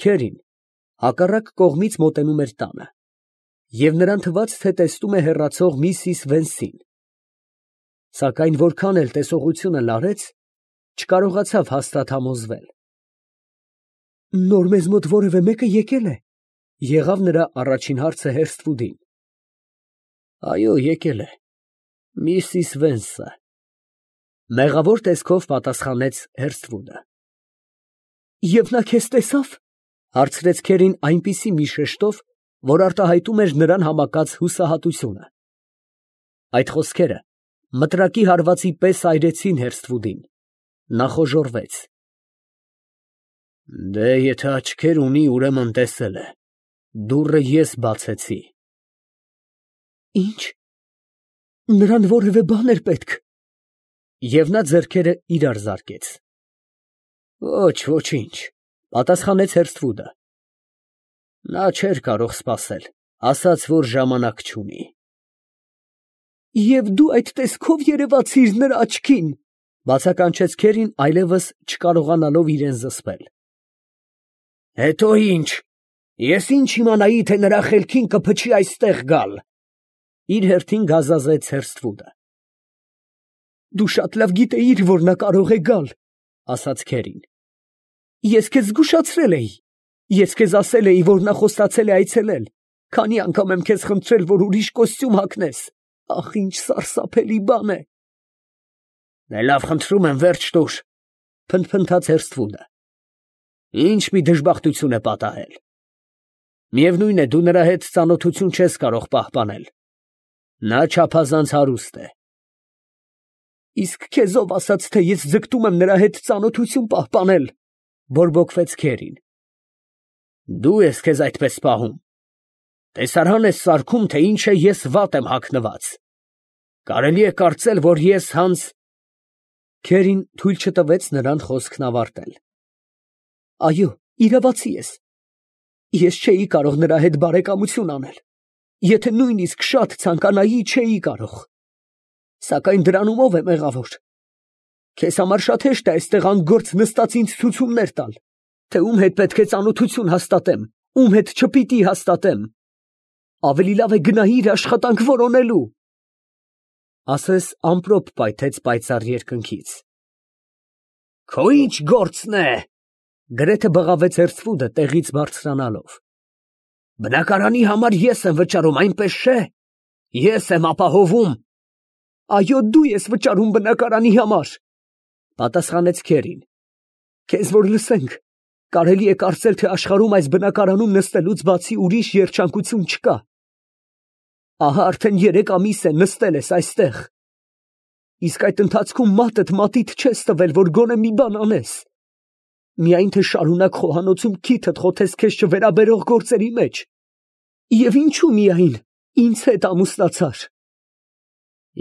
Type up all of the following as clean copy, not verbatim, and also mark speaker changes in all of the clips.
Speaker 1: Քերին հակառակ կողմից մոտենում էր տանը, և նրան թվաց, թե տեսնում է հեռացող միսիս Վենսին, սակայն որքան էլ տեսողությունը լարեց, չկարողացավ հաստատ համոզվել։ ֊ Նոր մեզ մոտ որևէ մեկը եկել է, ֊ եղավ նրա առաջին հարցը Հերսթվուդին։ ֊ Այո, եկել է, միսիս Վենսը, ֊ մեղավոր տեսքով պատասխանեց Հերսթվուդը։ ֊ Եվ նա քեզ տեսա՞վ, ֊ հարցրեց քերին այնպիսի մի շեշտով, որ արտահայտում էր նրան համակած հուսահատությունը։ Այդ խոսքերը մտրակի հարվածի պես այրեցին Հերսթվուդին. նա խոժոռվեց։ Դե, եթե աչքեր ունի, ուրեմն տեսել է, դուռը ես բացեցի։ Ինչ, նրան որևէ բան էր պետք։ Եվ նա ձեռքերը իրար զարկեց։ Ոչ, ոչինչ, պատասխանեց Հերսթվուդը։ Նա չէր կարող սպասել, ասաց, որ ժամանակ չունի։ Եվ դու այդ տեսքով երևացիր նրա աչքին, բացականչեց քերին, այլևս չկարողանալով իրան զսպել։ Հետո ինչ, ես ինչ իմանայի, թե նրա խելքին կփչի այստեղ գալ, իր հերթին գազազեց Հերսթվուդը։ Դու շատ լավ գիտեիր, որ նա կարող է գալ, ասաց քերին։ Ես քեզ զգուշացրել էի, ես քեզ ասել էի, որ նա խոստացել է այցելել, քանի անգամ եմ քեզ խնդրել, որ ուրիշ կոստյում հագնես, ախ, ինչ սարսափելի բան է։ Դե լավ, խնդրում եմ, վերջ տուր, փնթփնթաց Հերսթվուդը։ Ինչ մի դժբախտություն է պատահել։ Միևնույն է, դու նրա հետ ծանոթություն չես կարող պահպանել։ Նա չափազանց հարուստ է։ Իսկ քեզ ով ասաց, թե ես ձգտում եմ նրա հետ ծանոթություն պահպանել, բորբոքվեց քերին։ Դու ես քեզ այդպես պահում։ Տեսարան ես սարքում, թե ինչ է ես վատ եմ հագնված։ Կարելի է կարծել, որ ես հանց… Քերին թույլ չտվեց նրան խոսքն ավարտել։ Այո, իրավացի ես։ Ես չէի կարող նրա հետ բարեկամություն անել։ Եթե նույնիսկ շատ ցանկանայի, չէի կարող։ Սակայն դրանում ով է մեղավոր։ Քեզ համար շատ հեշտ է այստեղ անգործ նստած ինձ ցուցումներ տալ, թե ում հետ պետք է ծանոթություն հաստատեմ, ում հետ չպիտի հաստատեմ։ Ավելի լավ է գնայիր աշխատանք որոնելու։ Ասես ամպրոպ պայթեց պայծառ երկնքից։ Քո ինչ գործն է, գրեթե բղավեց Հերսթվուդը տեղից բարձրանալով։ Բնակարանի համար ես եմ վճարում, այնպես չէ։ Ես եմ ապահովում։ Այո, դու ես վճարում բնակարանի համար, պատասխանեց քերին։ Քեզ որ լսենք, կարելի է կարծել, թե աշխարհում այս բնակարանում նստելուց բացի ուրիշ երջանկություն չկա։ Ահա արդեն 3 ամիս է նստել ես այստեղ։ Իսկ այդ ընթացքում մատդ մատիդ չես տվել, որ գոնե մի բան անես։ Միայն թե շարունակ խոհանոցում քիթդ խոթես քեզ չվերաբերող գործերի մեջ։ Եվ ինչու միայն ինձ հետ ամուսնացար։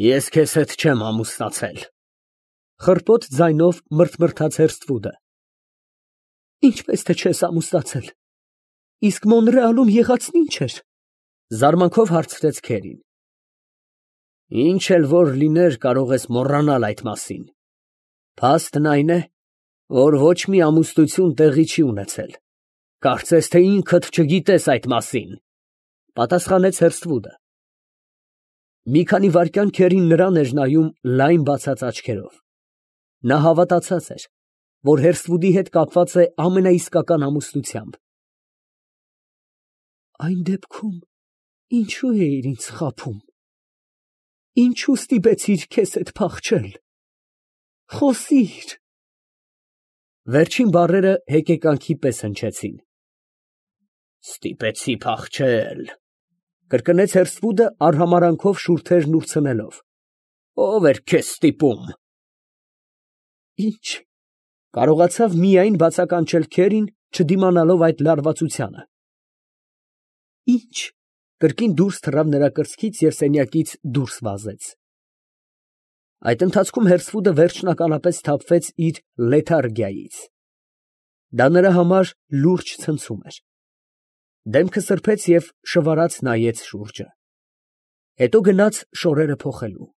Speaker 1: Ես քեզ հետ չեմ ամուսնացել, խռպոտ ձայնով մրթմրթաց Հերսթվուդը։ Ինչպես թե չես ամուսնացել։ Իսկ Մոնրեալում եղածն ինչ էր։ Զարմանքով հարցրեց քերին։ Ինչ էլ որ լիներ, կարող ես մոռանալ այդ մասին։ Փաստն այն է, որ ոչ մի ամուսնություն տեղի չի ունեցել։ Կարծես թե ինքդ չգիտես այդ մասին, պատասխանեց Հերսթվուդը։ Մի քանի վայրկյան քերին նրան էր նայում լայն բացած աչքերով։ Նա հավատացած էր, որ Հերսթվուդի հետ կապված է ամենաիսկական ամուսնությամբ։ Այն դեպքում ինչու էիր ինձ խաբում։ Ինչու ստիպեցիր քեզ հետ փախչել։ Խոսիր։ Վերջին բառերը հեկեկանքի պես հնչեցին։ Ստիպեցի փախչել, կրկնեց Հերսթվուդը արհամարանքով շուրթերն ուրցնելով։ Ո՞վ էր քեզ ստիպում։ Ինչ, կարողացավ միայն բացականչել քերին, չդիմանալով այդ լարվածությանը։ Ինչ, կրկին դուրս թռավ նրա կրծքից և սենյակից դուրս վազեց։ Այդ ընթացքում Հերսթվուդը վերջնականապես սթափվեց իր լեթարգիայից։ Դա նրա համար լուրջ ցնցում էր։ Դեմքը սրբեց և շվարած նայեց շուրջը։ Հետո գնաց շորերը փոխելու։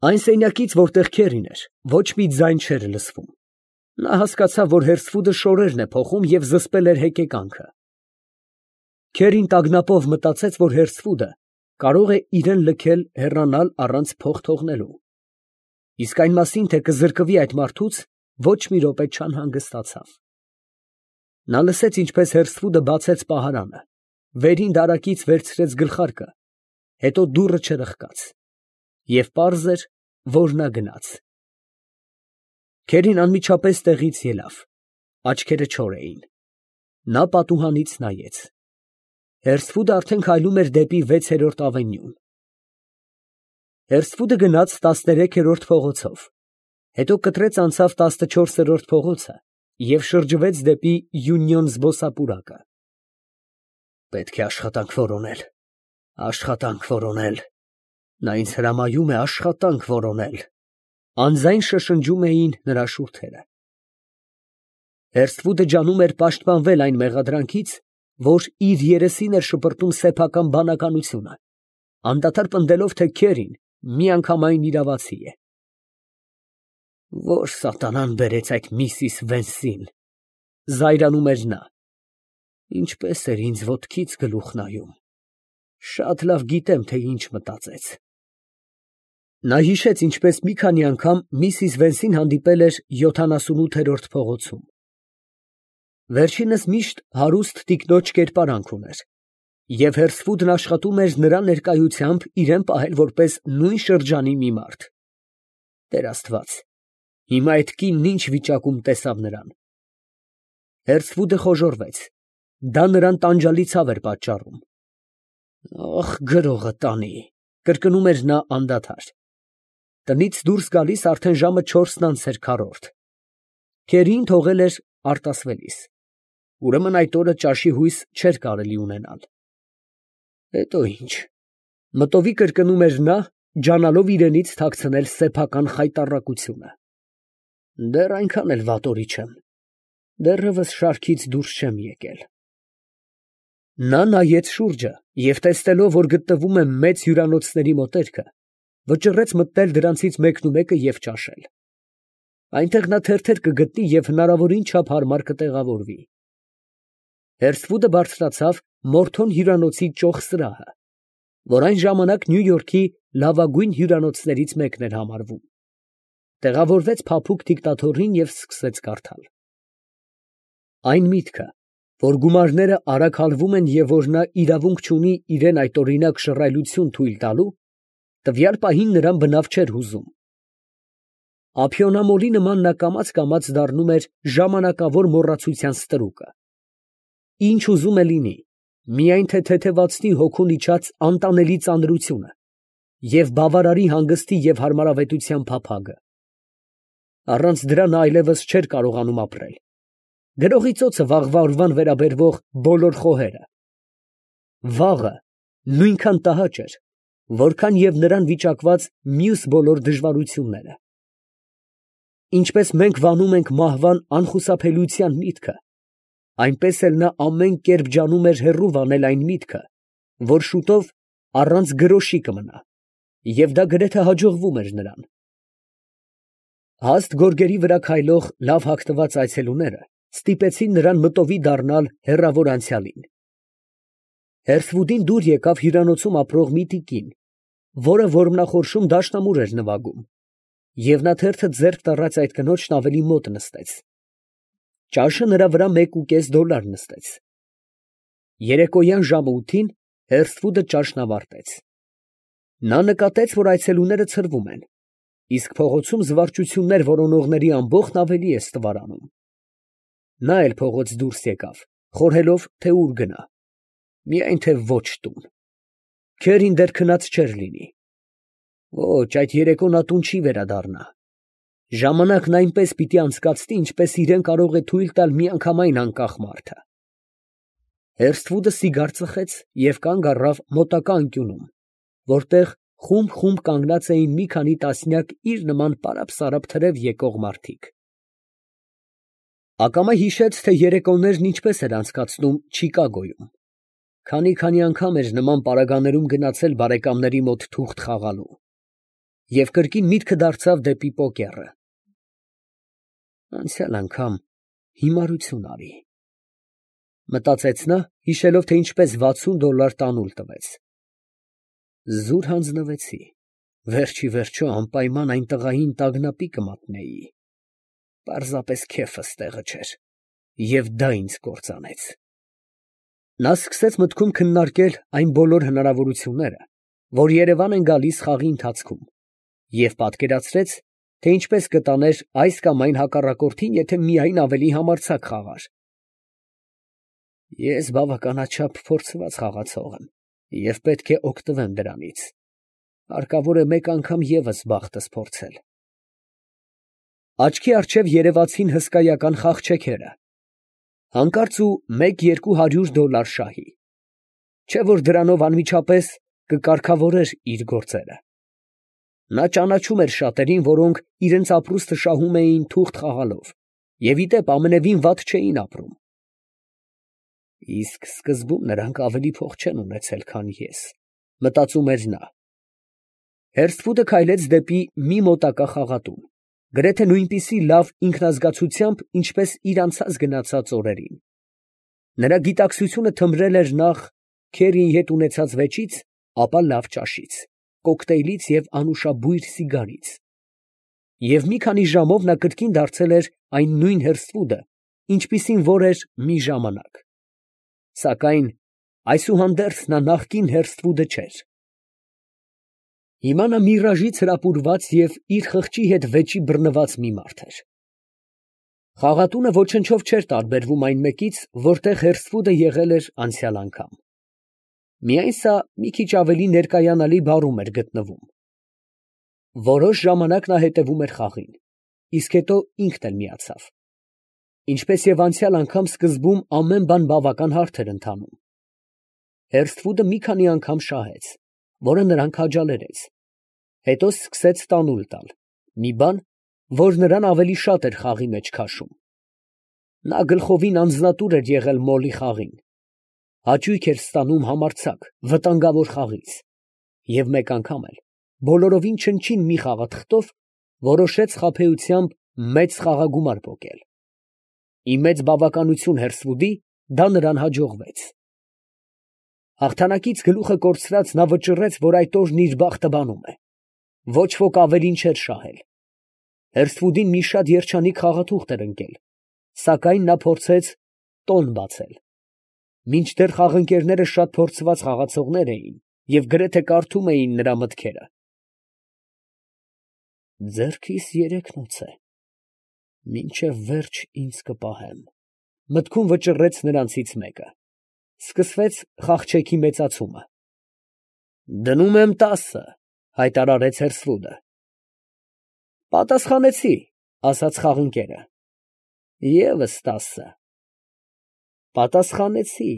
Speaker 1: Այն սենյակից, որտեղ քերին էր, ոչ մի ձայն չէր լսվում։ Նա հասկացավ, որ հերսվուդը շորերն է փոխում և զսպել էր հեկեկանքը։ Քերին տագնապով մտածեց, որ հերսվուդը կարող է իրեն լքել հեռանալ առանց փող թողնելու։ Իսկ այն մասին, թե կզրկվի այդ մարդուց, ոչ մի րոպե չանհանգստացավ։ Նա լսեց, ինչպես հերսվուդը բացեց պահարանը, վերին դարակից վերցրեց գլխարկը, հետո դուռը չրխկաց, և պարզ էր, որ նա գնաց։ Քերին անմիջապես տեղից ելավ, աչքերը չոր էին։ Նա պատուհանից նայեց։ Հերսվուդը արդեն քայլում էր դեպի 6-րդ ավենյուն։ Հերսվուդը գնաց 13-րդ փողոցով, հետո կտրեց անցավ 14-րդ փողոցը և շրջվեց դեպի Յունիոն զբոսապուրակը։ Պետք է աշխատանք որոնել, աշխատանք որոնել։ Նա ինձ հրամայում է աշխատանք որոնել։ Անձայն շշնջում էին նրա շուրթերը։ Հերսվուդը ջանում էր պաշտպանվել այն մեղադրանքից, որ իր երեսին էր շպրտում սեփական բանականությունը, անդադար պնդելով, թե Քերին միանգամայն իրավացի է։ Որ սատանան բերեց այդ Միսիս Վենսին, զայրանում էր նա։ Ինչպես էր ինձ ոտքից գլուխ նայում։ Շատ լավ գիտեմ, թե ինչ մտածեց։ Նա հիշեց, ինչպես մի քանի անգամ Միսիս Վենսին հանդիպել էր 78-րդ փողոցում։ Վերջինս միշտ հարուստ տիկնոջ կերպարանք ուներ, և հերսվուդն աշխատում էր նրա ներկայությամբ իրան պահել որպես նույն շրջանի մի մարդ։ Տեր Աստված, հիմա այդ կինն ինչ վիճակում տեսավ նրան։ Հերսվուդը խոժոռվեց, դա նրան տանջալի ցավ էր պատճառում։ Ախ, գրողը տանի, կրկնում էր նա անդադար։ Տնից դուրս գալիս արդեն ժամը 4-ն անց էր քառորդ։ Քերին թողել էր արտասվելիս։ Ուրեմն այդ օրը ճաշի հույս չէր կարելի ունենալ։ Հետո ինչ, մտովի կրկնում էր նա, ջանալով իրենից թաքցնել սեփական խայտառակությունը։ Դեռ այնքան էլ վատորի չեմ, դեռևս շարքից դուրս չեմ եկել։ Նա նայեց շուրջը և տեսնելով, որ գտնվում է մեծ հյուրանոցների մոտերքը, վճռեց մտնել դրանցից մեկնումեկը և ճաշել։ Այնտեղ նա թերթեր կգտնի և հնարավորին չափ հարմար կտեղավորվի։ Հերսվուդը բարձրացավ Մորթոն հյուրանոցի ճոխ սրահը, որ այն ժամանակ Նյու Յորքի լավագույն հյուրանոցներից մեկն էր համարվում։ Տեղավորվեց փափուկ դիկտատորին և սկսեց կարդալ։ Այն միտքը, որ գումարները արագ հալվում են և որ նա իրավունք չունի իրան այդօրինակ շռայլություն թույլ տալու, տվյալ պահին նրան բնավ չէր հուզում։ Ափիոնամոլի նման նա կամաց դառնում էր ժամանակավոր մոռացության ստրուկը։ Ինչ ուզում է լինի, միայն թե թեթևացնի հոգուն իջած անտանելի ծանրությունը և բավարարի հանգստի և հարմարավետության փափագը։ Առանց դրա նա այլևս չէր կարողանում ապրել։ Գրողի ծոցը վաղվա օրվան վերաբերվող բոլոր խոհերը։ Վաղը նույնքան տհաճ էր, որքան և նրան վիճակված մյուս բոլոր դժվարությունները։ Ինչպես մենք վանում ենք մահվան անխուսափելիության միտքը, այնպես էլ նա ամեն կերպ ջանում էր հեռու վանել այն միտքը, որ շուտով առանց գրոշի կմնա, և դա գրեթե հաջողվում էր նրան։ Հաստ գորգերի վրա քայլող լավ հագնված այցելուները ստիպեցին նրան մտովի դառնալ հեռավոր անցյալին։ Հերսվուդին դուր եկավ հյուրանոցում ապրող մի տիկին, որը որմնախորշում դաշնամուր էր նվագում, և նա թերթը ձեռք տառած այդ կնոջն ավելի մոտ նստեց։ Ճաշը նրա վրա $1.5 նստեց։ Երեկոյան ժամը 8-ին Հերսվուդը ճաշն ավարտեց։ Նա նկատեց, որ այցելուները ցրվում են, իսկ փողոցում զվարճություններ որոնողների ամբոխն ավելի է ստվարանում։ Նա էլ փողոց դուրս եկավ, խորհելով, թե ուր գնա։ Միայն թե ոչ տուն։ Քերին դեռ քնած չէր լինի։ Ոչ, այդ երեկո նա տուն չի վերադառնա։ Ժամանակն այնպես պիտի անցկացնի, ինչպես իրան կարող է թույլ տալ միանգամայն անկախ մարդը։ Հերսվուդը սիգար ծխեց և կանգ առավ մոտակա անկյունում, որտեղ խումբ կանգնած էին մի քանի տասնյակ իր նման պարապ թրև եկող մարդիկ։ Ակամա հիշեց, թե երեկոներն ինչպես էր անցկացնում Չիկագոյում։ Քանի անգամ էր նման պարագաներում գնացել բարեկամների մոտ թուղթ խաղալու, և կրկին միտքը դարձավ դեպի պոկերը։ Անցյալ անգամ հիմարություն արի։ Մտածեց նա, հիշելով, թե ինչպես $60 տանուլ տվեց։ Զուր հանձնվեցի, վերջի վերջո անպայման այն տղային տագնապի կմատնեի։ Պարզապես քեֆս տեղը չէր, և դա ինձ կործանեց։ Նա սկսեց մտքում քննարկել այն բոլոր հնարավորությունները, որ Երևան են գալիս խաղի ընթացքում, և պատկերացրեց, թե ինչպես կտաներ այս կամ այն հակառակորդին, եթե միայն ավելի համարձակ խաղար։ Ես բավականաչափ փորձված խաղացող եմ և պետք է օգտվեմ դրանից. հարկավոր է մեկ անգամ ևս բախտս փորձել։ Աչքի առջև երևացին հսկայական խաղչեքերը, հանկարծ ու $100-200 շահի, չէ՞ որ դրանով անմիջապես կկարգավորեր իր գործերը։ Նա ճանաչում էր շատերին, որոնք իրենց ապրուստը շահում էին թուղթ խաղալով, և ի դեպ ամենևին վատ չէին ապրում։ Իսկ սկզբում նրանք ավելի փող չեն ունեցել, քան ես, մտածում էր նա։ Հերսֆուդը քայլեց դեպի մի մոտակա խաղատուն, գրեթե նույնպիսի լավ ինքնազգացությամբ, ինչպես իր անցած օրերին։ Նրա գիտակցությունը թմրել էր նախ քերիի հետ ունեցած վեճից, ապա լավ ճաշից, կոկտեյլից և անուշաբույր սիգարից։ Եվ մի քանի ժամով նա կրկին դարձել էր այն նույն Հերսֆուդը, ինչպիսին որ էր մի ժամանակ։ Սակայն այսուհանդերձ նա նախկին Հերսֆուդը չէր։ Հիմա նա միրաժից հրապուրված և իր խղճի հետ վեճի բռնված մի մարդ էր։ Խաղատունը ոչնչով չէր տարբերվում այն մեկից, որտեղ Հերսֆուդը եղել էր անցյալ անգամ։ Միայն սա մի քիչ ավելի ներկայանալի բարում էր գտնվում։ Որոշ ժամանակ նա հետևում էր խաղին, իսկ հետո ինքն էլ միացավ։ Ինչպես և անցյալ անգամ, սկզբում ամեն բան բավական հարթ էր ընթանում։ Հերսֆուդը մի քանի անգամ շահեց, որը նրան քաջալերեց, հետո սկսեց տանուլ տալ, մի բան, որ նրան ավելի շատ էր խաղի մեջ քաշում։ Նա գլխովին անձնատուր էր եղել մոլի խաղին, հաճույք էր ստանում համարձակ, վտանգավոր խաղից, և մեկ անգամ էլ, բոլորովին չնչին մի խաղաթղթով, որոշեց խաբեությամբ մեծ խաղագումար պոկել։ Ի մեծ բավականություն Հերսֆուդի, դա նրան հաջողվեց։ Հաղթանակից գլուխը կորցրած նա վճռեց, որ այդ օրն իր բախտը բանում է։ Ոչ ոք ավելին չէր շահել։ Հերսֆուդին մի շատ երջանիկ խաղաթուղթ էր ընկել, սակայն նա փորձեց տոն բացել։ Մինչդեռ խաղընկերները շատ փորձված խաղացողներ էին և գրեթե կարդում էին նրա մտքերը։ Ձեռքիս 3 է, մինչև վերջ ինձ կպահեն, մտքում վճռեց նրանցից մեկը։ Սկսվեց խաղչեքի մեծացումը։ Դնում եմ 10, հայտարարեց Հերսֆուդը։ Պատասխանեցի, ասաց խաղընկերը։ Եվս 10։ Պատասխանեցի։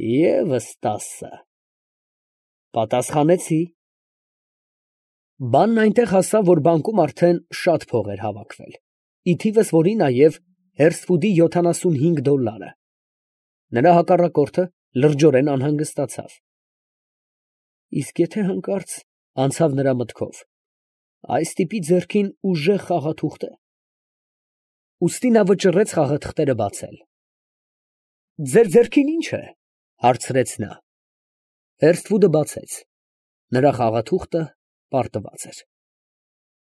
Speaker 1: Եվս 10։ Պատասխանեցի։ Բանն այնտեղ հասավ, որ բանկում արդեն շատ փող էր հավաքվել, ի թիվս որի նաև Հերսֆուդի $75։ Նրա հակառակորդը լրջորեն անհանգստացավ։ Իսկ եթե հանկարծ, անցավ նրա մտքով, այս տիպի ձեռքին ուժեղ խաղաթուղթ է։ Ուստի նա վճռեց խաղաթղթերը բացել։ Ձեր ձեռքին ի՞նչ է, հարցրեց նա։ Հերսֆուդը բացեց։ Նրա խաղաթուղթը պարտված էր։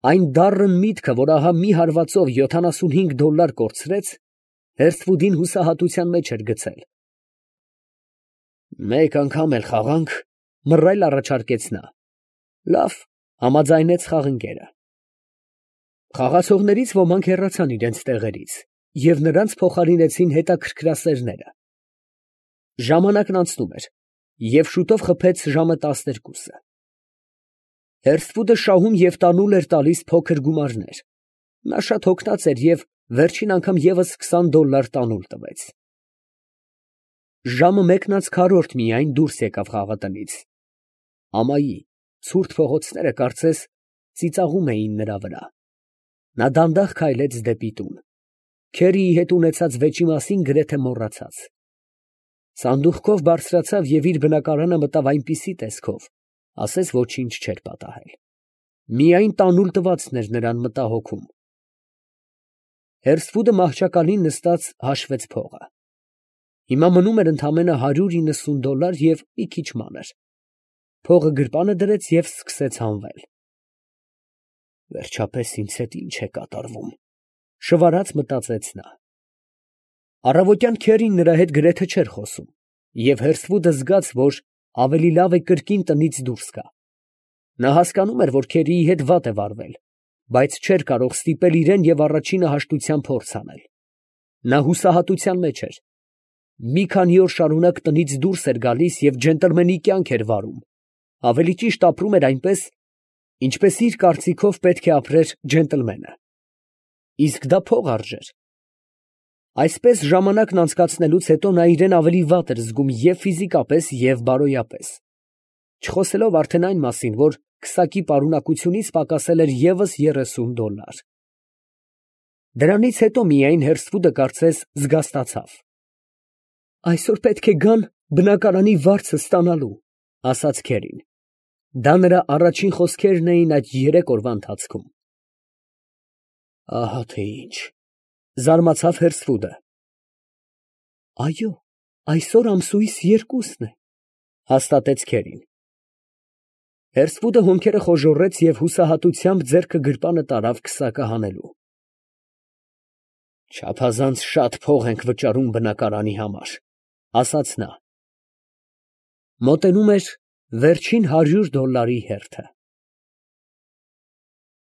Speaker 1: Այն դառն միտքը, որ ահա մի հարվածով $75 կորցրեց, Հերսֆուդին հուսահատության մեջ էր գցել։ Մեկ անգամ էլ խաղանք, մռայլ առաջարկեց նա։ Լավ, համաձայնեց խաղընկերը։ Խաղացողներից ոմանք հեռացան իրենց տեղերից, և նրանց փոխարինեցին հետաքրքրասերները։ Ժամանակն անցնում էր, և շուտով խփեց ժամը 12։ Հերսֆուդը շահում և տանուլ էր տալիս փոքր գումարներ։ Նա շատ հոգնած էր և վերջին անգամ ևս $20 տանուլ տվեց։ Ժամը 1:4 միայն դուրս եկավ խաղատնից։ Ամայի ցուրտ փողոցները, կարծես, ծիծաղում էին նրա վրա։ Նա դանդաղ քայլեց դեպի տուն, քերիի հետ ունեցած վեճի մասին գրեթե մոռացած։ Սանդուղքով բարձրացավ և իր բնակարանը մտավ այնպիսի տեսքով, ասես ոչինչ չէր պատահել։ Միայն տանուլ տվածն էր նրան մտահոգում։ Հերսվուդը մահճակալին նստած հաշվեց փողը։ Հիմա մնում էր ընդամենը $190 և մի քիչ մանր։ Փողը գրպանը դրեց և սկսեց հանվել։ Վերջապես ինձ հետ ինչ է կատարվում, շվարած մտածեց նա։ Առավոտյան քերին նրա հետ գրեթե չէր խոսում, և Հերսվուդը զգաց, որ ավելի լավ է կրկին տնից դուրս գա։ Նա հասկանում էր, որ քերիի հետ վատ է վարվել, բայց չէր կարող ստիպել իրան և առաջինը հաշտության փորձ անել։ Նա հուսահատության մեջ էր։ Մի քանի օր շարունակ տնից դուրս էր գալիս և ջենտլմենի կյանք էր վարում, ավելի ճիշտ ապրում էր այնպես, ինչպես իր կարծիքով պետք է ապրեր ջենտլմենը։ Իսկ դա փող արժեր։ Այսպես ժամանակն անցկացնելուց հետո նա իրան ավելի վատ էր զգում և ֆիզիկապես, և բարոյապես, չխոսելով արդեն այն մասին, որ քսակի պարունակությունից պակասել էր ևս $30։ Դրանից հետո միայն Հերսվուդը կարծես զգաստացավ։ Այսօր պետք է գան բնակարանի վարձը ստանալու, ասաց քերին։ Դա նրա առաջին խոսքերն էին այդ 3 օրվա ընթացքում։ Ահա թե ինչ, զարմացավ Հերսվուդը։ Այո, այսօր ամսույս 2-ն է, հաստատեց քերին։ Հերսվուդը հոնքերը խոժոռեց և հուսահատությամբ ձեռքը գրպանը տարավ քսակը հանելու։ Չափազանց շատ փող ենք վճարում բնակարանի համար, ասաց նա։ Մոտենում էր վերջին $100 հերթը։